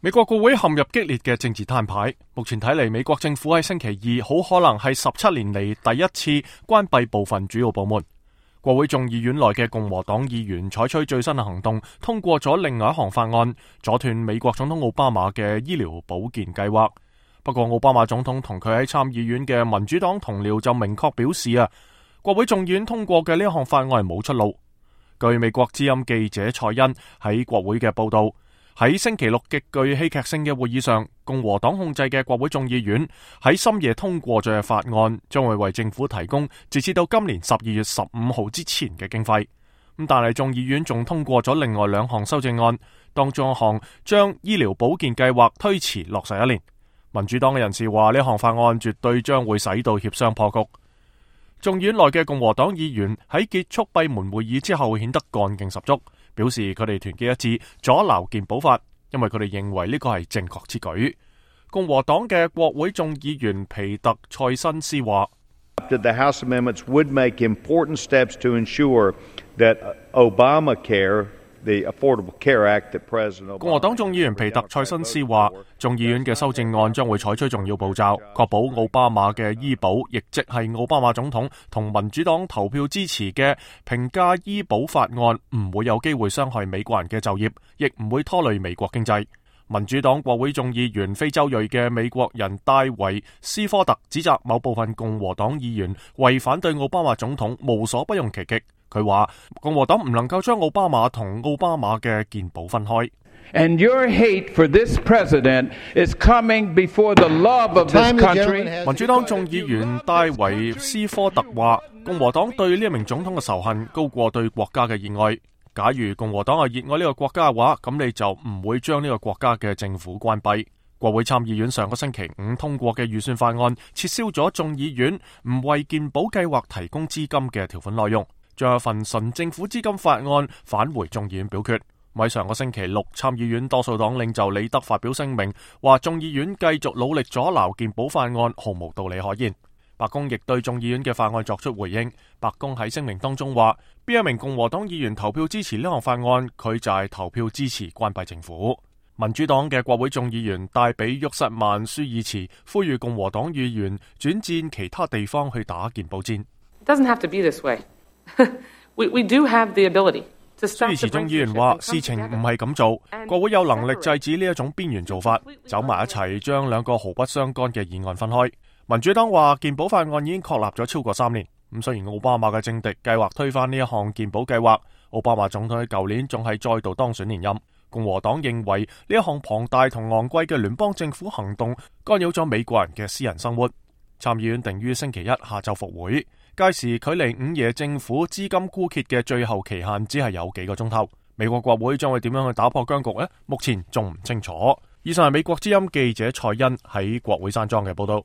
美國國會陷入激烈嘅政治攤牌，目前睇嚟，美國政府喺星期二好可能係17年嚟第一次關閉部分主要部門。國會眾議院內嘅共和黨議員採取最新嘅行動，通過咗另外一項法案，阻斷美國總統奧巴馬嘅醫療保健計劃。不過，奧巴馬總統同佢喺參議院嘅民主黨同僚就明確表示國會眾議院通過嘅呢項法案係冇出路。據美國之音記者蔡恩喺國會嘅報道，喺星期六極具戲劇性嘅會議上，共和黨控制嘅國會眾議院喺深夜通過咗嘅法案，將會為政府提供截至到今年12月15號之前嘅經費。但係眾議院仲通過咗另外兩項修正案，當中一項將醫療保健計劃推遲落實1年。民主黨嘅人士話呢項法案絕對將會使到協商破局。眾議院內嘅共和黨議員喺結束閉門會議之後顯得幹勁十足，表示佢哋團結一致阻撓健保法，因為佢哋認為呢個係正確之舉。共和黨嘅國會眾議員皮特塞辛斯話：The House amendments would make important steps to ensure that Obamacare, the Affordable Care Act that President Obama。共和黨眾議員皮特塞辛斯話，眾議院嘅修正案將會採取重要步驟，確保奧巴馬嘅醫保，亦即係奧巴馬總統同民主黨投票支持嘅平價醫保法案唔會有機會傷害美國人嘅就業，亦唔會拖累美國經濟。民主黨國會眾議員非洲裔嘅美國人戴維斯科特指責某部分共和黨議員為反對奧巴馬總統無所不用其極。佢話共和黨唔能夠將奧巴馬同奧巴馬嘅健保分開。And your hate for this president is coming before the love of this country。民主黨眾議員戴維斯科特話，共和黨對呢一名總統嘅仇恨高過對國家嘅熱愛。假如共和黨係熱愛呢個國家嘅話，咁你就唔會將呢個國家嘅政府關閉。國會參議院上個星期五通過嘅預算法案，撤銷咗眾議院唔為健保計劃提供資金嘅條款內容，將一份純政府資金法案返回眾議院表決。喺上個星期六，參議院多數黨領袖李德發表聲明，話眾議院繼續努力阻撓健保法案毫無道理可言。白宮亦對眾議院嘅法案作出回應。白宮喺聲明當中話，邊一名共和黨議員投票支持呢項法案，佢就係投票支持關閉政府。民主黨嘅國會眾議員戴比沃塞曼舒爾茨呼籲共和黨議員轉戰其他地方去打健保戰。It doesn't have to be this way. We do have the ability. 舒爾茨眾議員話，事情唔係咁做，國會有能力制止呢一種邊緣做法，走埋一齊將兩個毫不相干嘅議案分開。民主黨話健保法案已經確立咗超過3年。雖然奧巴馬嘅政敵計劃推翻呢一項健保計劃，奧巴馬總統喺舊年仲係再度當選連任。共和黨認為呢一項龐大同昂貴嘅聯邦政府行動干擾咗美國人嘅私人生活。參議院定於星期一下晝復會，屆時距離午夜政府資金枯竭嘅最後期限只係有幾個鐘頭。美國國會將會點樣去打破僵局呢？目前仲唔清楚。以上係美國之音記者蔡恩喺國會山莊嘅報道。